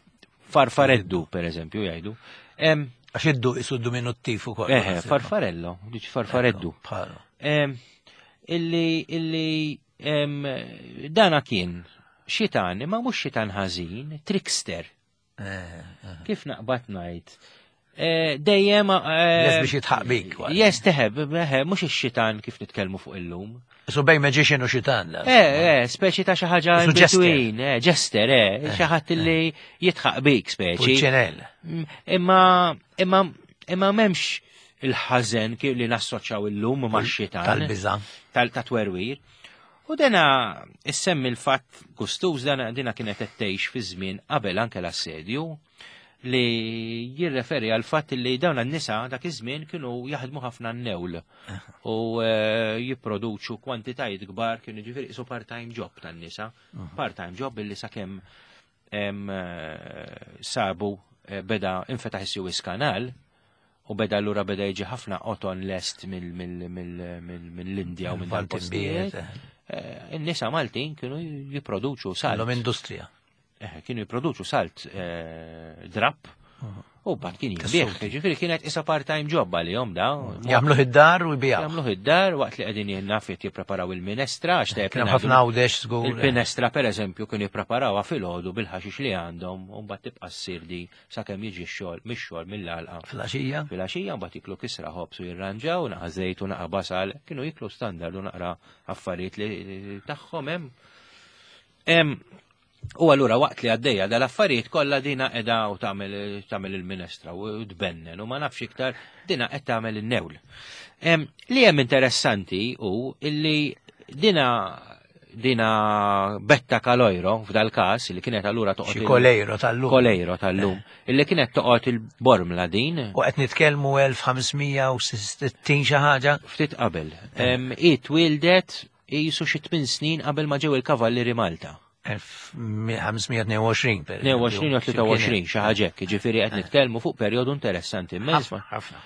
Farfareddu pereżempju jgħidu. Għax iddu isu diminuttiv ukoll. Eh, Farfarello, diċ Farfareddu. Illi illi dana kien xitan, imma mhux xitan ħażin, trickster. Kif naqbad ngħid? Dejjem Les biex jitħaq bik. Yes, teħeb, mhux ix-xitan kif nitkellmu fuq illum. Isu bejn magician u xitan. Eh, eh, speċi ta' xi ħaġa between, eh, jester, eh, xi ħadd li jitħaq bik speċi. Pulċinell. Imma imma imma m'hemmx il-ħażen kif li nassoċjaw illum max-xitan. Tal-biża'. Tal-twerwir. U dena issemmi l-fatt gustuż dana dina kienet qed tgħix fi żmien qabel anke l-assedju li jirreferi għal fatt li dawn n-nisa dak iż-żmien kienu jaħdmu ħafna n-newl u jipproduċu kwantitajiet kbar, kienu ġifieri isu part-time job tan-nisa, part-time job illi sakemm sabu beda infetaħ is-Suez Canal u beda allura beda jiġi ħafna qoton lest mill-Indja u minn dal-postijiet. In-nisa Maltin kienu jipproduċu salt. Kellhom industrija. Kienu jipproduċu salt drapp U bat kien jibih, ġifieri kienet isa part-time job għalihom da. Jagħmluh id-dar u jbijaw. Jagħmluh id-dar waqt li qegħdin jinnafjet jippreparaw il-minestra għax tajjeb Kien ħafna għawdex żgur. Il-minestra pereżempju kienu jippreparawha filgħodu bil-ħaxix li għandhom u mbagħad tibqa' ssir di sakemm jiġi x-xogħol mix-xogħol mill-għalqa. Filgħaxija. Filgħaxija mbagħad jiklu kisra ħobż u jirranġaw, naqa' żejt u naqa' basal, kienu jiklu standard u naqra affarijiet li tagħhom hemm. U allura waqt li għaddejja dal-affarijiet kollha dina qiegħda u tagħmel tagħmel il-minestra u tbennen u ma nafx iktar dina qed tagħmel in-newl. Li hemm interessanti hu illi dina dina Betta Kalojro f'dal każ li kienet allura toqgħod Xi Kolejro tal-lum. Kolejro tal-lum, illi kienet toqgħod il-Bormla din. U qed nitkellmu elf ħames mija u sittin xi ħaġa. Ftit qabel. Hi twildet qisu xi tmien snin qabel ma ġew il-Kavallieri Malta. elf ħames mija tnejn u għoxrin, per tnejn u għoxrin u tlieta u għoxrin, xi ħaġa hekk, jiġifieri qed nitkellmu fuq perjodu interessanti immens. Ħafna.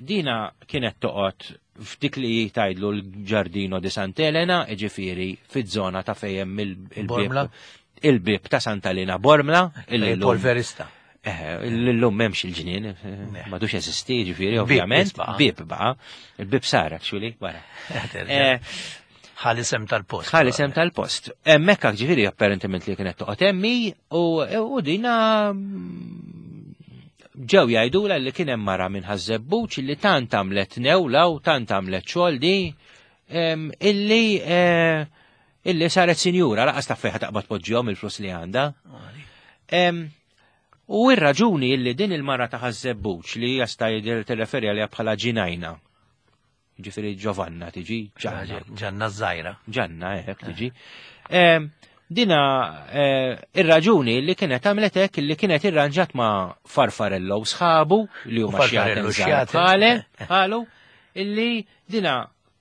Dina kienet toqgħod f'dik li jgħidlu l-Giardino di Sant'Elena, jiġifieri fiż-żona ta' fejn il-bib Bormla? Il-bib ta' Santa Elena Bormla, illi llum Polverista. Eh, illum m'hemmx il-ġnien, m'għadux jeżisti, jiġifieri, Bib ovvjament. baqa'. Bib baqa'. Il-bib sar, actually, wara. Eh, Ħa l-isem tal-post. Ħa l-isem tal-post. Hemmhekk ġifieri apparentement li kienet toqgħod hemmi u, u dina ġew jgħidula li kien hemm mara minn Ħaż-Żebbuġ li tant għamlet newla u tant għamlet xogħol di em, illi eh, illi saret sinjura laqas taf fejn taqbad poġġihom il-flus li għandha. Em, U ir-raġuni illi din il-mara ta' Ħaż-Żebbuġ li jasta jidher tirreferi għaliha bħala Ġinajna. Ġifieri Giovanna tiġi, Ġanna. Ġanna żgħira. Ġanna, hekk tiġi. Em, Dina eh, ir-raġuni li kienet għamlet hekk li kienet irranġat ma' Farfarello u sħabu li huma Farfarello xjaten xjaten. bħale, bħalu, illi dina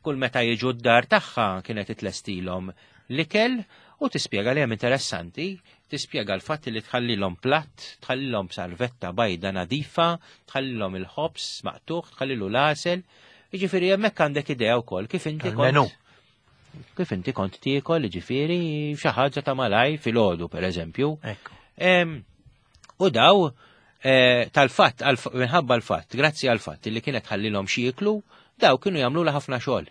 kull meta jiġu d-dar tagħha kienet itlestilhom l-ikel u tispjega li hemm interessanti, tispjega l-fatt li tħallilhom platt, tħallilhom salvetta bajda nadifa, tħallilhom il-ħobż maqtuħ, tħallilu l-għasel. Jiġifieri hemmhekk għandek idea wkoll kif inti Tal-menu. kont kif inti kont tiekol, jiġifieri xi ħaġa ta' malaj filgħodu pereżempju. Ekku. Em, U daw eh, tal-fatt, għal- minħabba l-fatt, grazzi għal-fatt li kienet ħallilhom xi jieklu, daw kienu jagħmlu ħafna xogħol.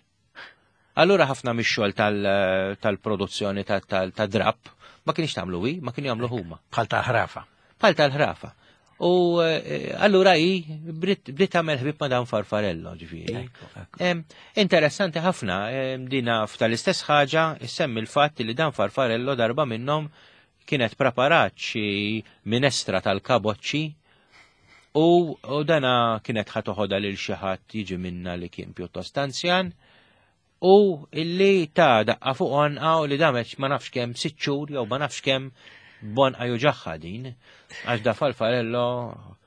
Allura ħafna mix-xogħol tal- tal-produzzjoni tal-drap ma kienx tagħmlu hi, ma kienu jagħmlu huma. Bħal tal-ħrafa. Bħal tal-ħrafa. U eh, allura hi bdiet bdiet tagħmel ħbib ma' dan Farfarello, ġifieri. Ekku, ekku. Em, Interessanti ħafna, em, dina f'tal-istess ħaġa, issemmi l-fatt li dan Farfarello darba minnhom kienet preparat xi minestra tal-kaboċċi u, u dana kienet ħa toħodha lil xi ħadd jiġi minna li kien pjuttost anzjan u illi ta' daqqa fuq għonqa u li damet ma nafx kemm sitt xhur jew ma nafx kemm b'għonqa juġagħha din għax da Farfarello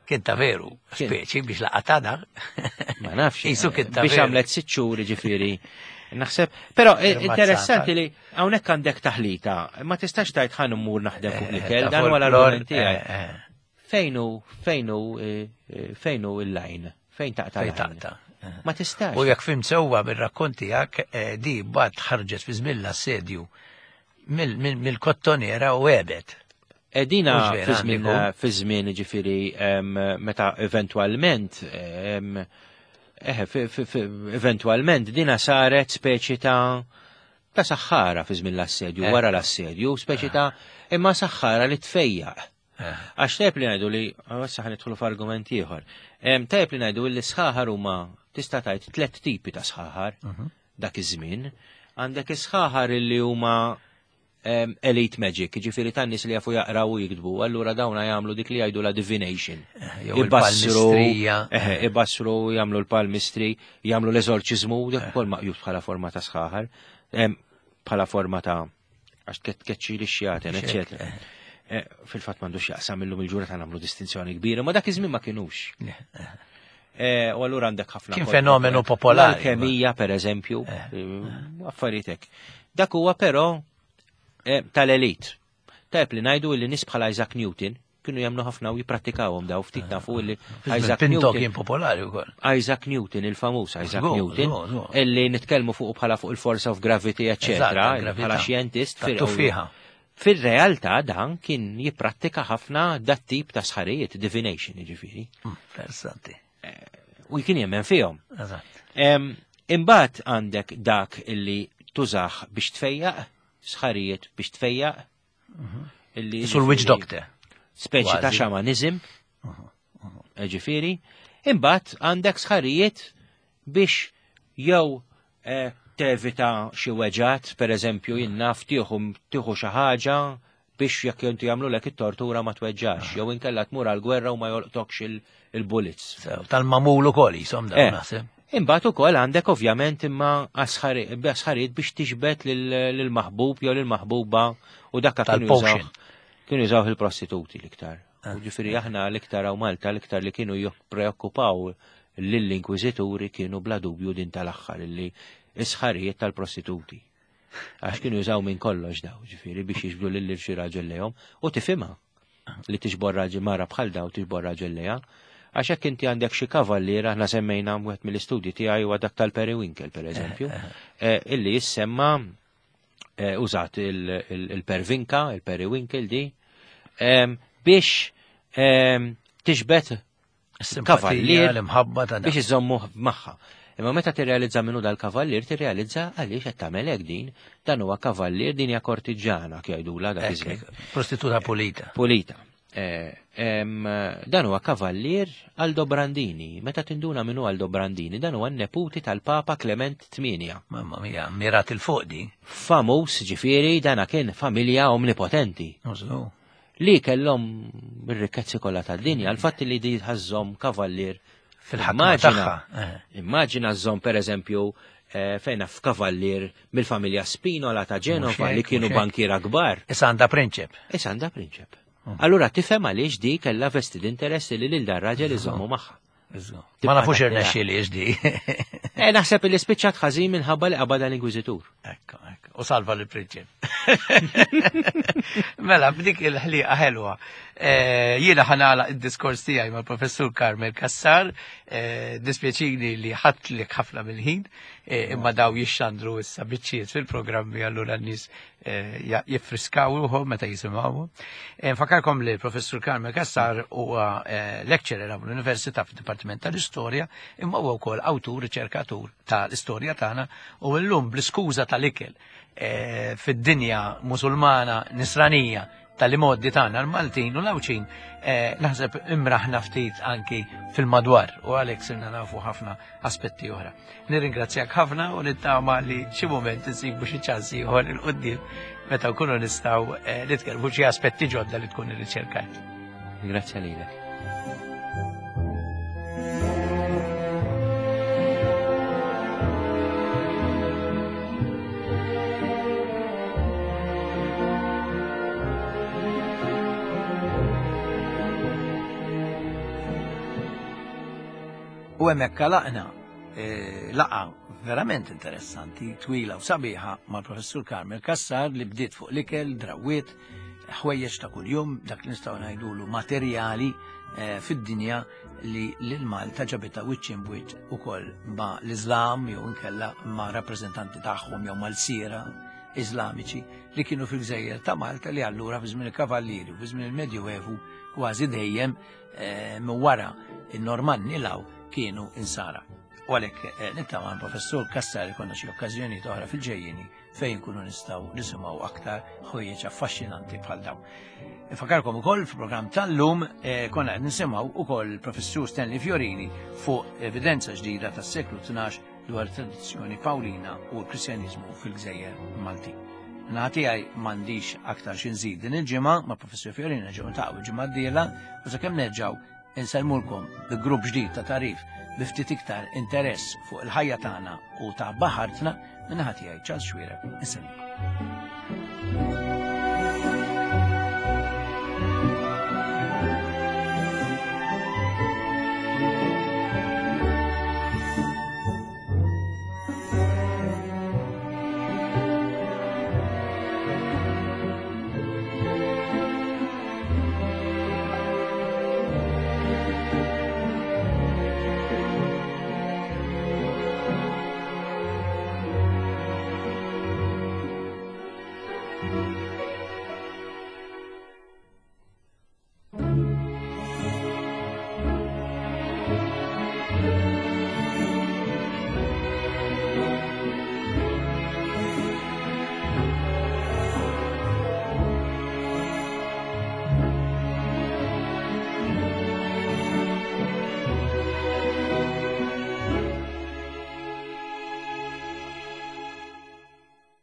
Kien ta' veru, Kien. speċi biex laqatada. ma nafx. Isu kien ta' biex veru. għamlet sitt xhur ġifieri. Naħseb, però eh, Irmazzata. interessanti li hawnhekk għandek taħlita, ma tistax tgħid ħa mmur naħdem fuq l-ikel, Ta' dan huwa folklor, l-argument tiegħi. eh, eh, Fejn hu fejn hu eh, eh, fejn hu il-line? Fejn taqta' Fejn l-line? taqta'. eh. Ma tistax. U jekk fhimt sewwa bir-rakkont tiegħek, eh, di mbagħad ħarġet fi żmien l-assedju mill-kottonera u għebet. Edina Mhux vera, fi żmien għandiku. fi żmien ġifieri em, meta eventwalment em, eh, fi- fi- fi- eventwalment dina saret speċi ta' ta' saħħara fi żmien l-assedju, Eh. wara l-assedju, speċi ta' imma saħħara li tfejjaq. Eh. Għax tajb li ngħidu li, issa ħa nidħlu f'argument ieħor. Em, Tajb li ngħidu li sħaħar huma tista' tgħid tliet tipi ta' sħaħar dak iż-żmien. Għandek is-sħaħar li huma em, elite magic, ġifieri tan nies li jafu jaqraw u jiktbu, allura dawna jagħmlu dik li jgħidu la divination. Jew il-palmistrija. Eħe, ibassru, jagħmlu l-palmistri, jagħmlu l-eżorċiżmu, dak ukoll maqjus bħala forma ta' sħaħar, em, bħala forma ta' għax tkeċċi li xjaten, eccetera. Eh, Fil-fatt m'għandux jaqsam illum il-ġurnata nagħmlu distinzjoni kbira, ma dak iż-żmien ma kinux. Eh, U allura għandek ħafna Kien kol- fenomenu popolari. L-alkemija, per eżempju, eh, affarijiet hekk. Dak huwa però eh, tal-elit. Tajb li ngħidu li nies bħala Isaac Newton kienu jagħmlu ħafna u jipprattikawhom daw ftit nafu li Isaac Pinto Newton kien popolari wkoll. Isaac Newton, il-famuż Isaac Żgur, Newton, żgur, żgur. illi nitkellmu fuq bħala fuq il-force of gravity, Eżatt, eccetera, gravità. bħala xjentist. Tat-tuffieħa. Fil-realtà dan kien jipprattika ħafna dat tip ta' sħarijiet, divination, jiġifieri. Interessanti. U kien jemmen fihom. Eżatt. Imbagħad għandek dak illi tużaħ biex tfejjaq, sħarijiet biex tfejjaq. Illi Sul witch doctor. Speċi ta' Kważi. xamanizm. Ġifieri. Imbagħad għandek sħarijiet biex jew eh, tevita xi weġgħat, pereżempju jien naf tieħu tieħu xi ħaġa biex jekk inti jagħmlulek it-tortura ma tweġġax, jew inkella tmur għall-gwerra u ma jolqtokx il- il-bullets. Sew, Tal-mamul ukoll jisom Eh. dawn naħseb. Imbagħad ukoll għandek ovvjament imma asħari- asħarijiet biex tixbet lil- lill-maħbub jew lill-maħbuba u dakka kienu Tal-potion. jużaw kienu jużaw il-prostituti l-iktar. U ġifieri aħna l-iktar hawn Malta l-iktar li kienu jippreokkupaw lill-inkwiżituri kienu bla dubju din tal-aħħar illi isħarijiet tal-prostituti. Għax kienu jużaw minn kollox daw, ġifieri biex jiġbdu lil xi raġel lejhom u tifhimha li tiġbor raġel mara bħal daw tiġbor raġel lejha. Għax hekk inti għandek xi kavallier, aħna semmejna wieħed mill-istudji tiegħi huwa dak tal-Periwinkle pereżempju, eh, illi jissemma eh, użat il- il- il-pervinka, il-periwinkle di, em, biex em, tiġbed Is-simpatija, kavallier l-imħabba ta' biex iżommu magħha. Imma meta tirrealizza minnu dal-kavallier, tirrealizza għaliex qed tagħmel hekk din, dan huwa kavallier din hija kortiġġana jgħidula dak iż-żmien. Prostituta pulita. Pulita. Eh, em, dan huwa kavallier Aldo Brandini. Meta tinduna minnu Aldo Brandini, dan huwa n-neputi tal-Papa Clement tmienja. Mamma mia, mirat il-fuq di. Famuż, ġifieri, dana kien familja omnipotenti Użu. li kellhom ir-rikkezzi kollha tad-dinja, l-fatt li di ħażhom kavallier Fil-ħakma Immaġina- tagħha. Eh. Immaġina żżomm pereżempju eh, fejna f'kavallier mill-familja Spinola ta' Ġenova Mhux hekk, li kienu mhux hekk. bankiera kbar. Issa għandha prinċep. Issa għandha prinċep. Allura tifhem għaliex di kellha vested interess li lil dan raġel iżommu magħha. Ma Tibqa' nafux taħt irnexxi li di. Eh, naħseb li spiċċat ħażin minħabba li qabadha l-Inkwiżitur. Ekku, ekku. U salva l-prinċep. Mela, b'dik il-ħliqa ħelwa. Eh, Jiena ħanala id-diskors tiegħi mal-Professur Carmel Cassar, eh, dispjaċini li ħadtlek ħafna mill-ħin, eh, imma daw jixxandru issa biċċiet fil-programmi allura n-nies eh, ja- jiffriskaw ruħhom meta jisimgħuhom. Eh, Nfakkarkom li l-Professur Carmel Cassar huwa eh, lecturer għall-Università fid-Dipartiment tal-Istorja, imma huwa wkoll awtur riċerkatur tal-istorja tagħna u llum bl-iskuża tal-ikel eh, fid-dinja musulmana nisranija tal-imoddi tagħna l-Maltin u l-Għawdxin eh, naħseb imraħna ftit anki fil-madwar u għalhekk sirna nafu ħafna aspetti oħra. Nirringrazzjak ħafna u nittama li xi mument insibu xi ċans ieħor il quddiem meta nkunu nistgħu eh, nitkellmu xi aspetti ġodda li tkun irriċerkajt. Grazzi lilek. U hemmhekk laqna eh, laqa verament interessanti, twila u sabiħa mal-professur Carmel Cassar li bdiet fuq l-ikel, drawiet, ħwejjeġ ta' kuljum, dak li nistgħu ngħidulu materjali eh, fid-dinja li lil Malta ġabitha wiċċ imbwiċċ ukoll ma' l-Iżlam jew inkella ma' rappreżentanti tagħhom jew mal-sira Iżlamiċi li kienu fil-gżejjer ta' Malta li allura fi żmien il-Kavallieri u fi żmien il-Medjuevu kważi dejjem eh, minn wara in-Normanni law kienu insara. U għalhekk eh, nittama professur Cassar ikonna xi okkażjonijiet oħra fil-ġejjieni fejn nkunu nistgħu nisimgħu aktar ħwejjeġ affaxxinanti bħal dawn. Infakarkom ukoll fil-programm tal-lum eh, konna qed nisimgħu ukoll il-professur Stanley Fiorini fuq evidenza ġdida tas-seklu tnax dwar tradizzjoni Pawlina u l-Kristjaniżmu fil-Gżejjer Malti. Naħa tiegħi m'għandix aktar xi nżid din il-ġimgħa ma' Professur Fiorini nerġgħu niltaqgħu il-ġimgħa d-dieħla u sakemm nerġgħu insellmulkom bi grupp ġdid ta' tarif bi ftit iktar interess fuq il-ħajja tagħna u ta' baħartna minn naħa tiegħi Charles Xuereb insellimkom.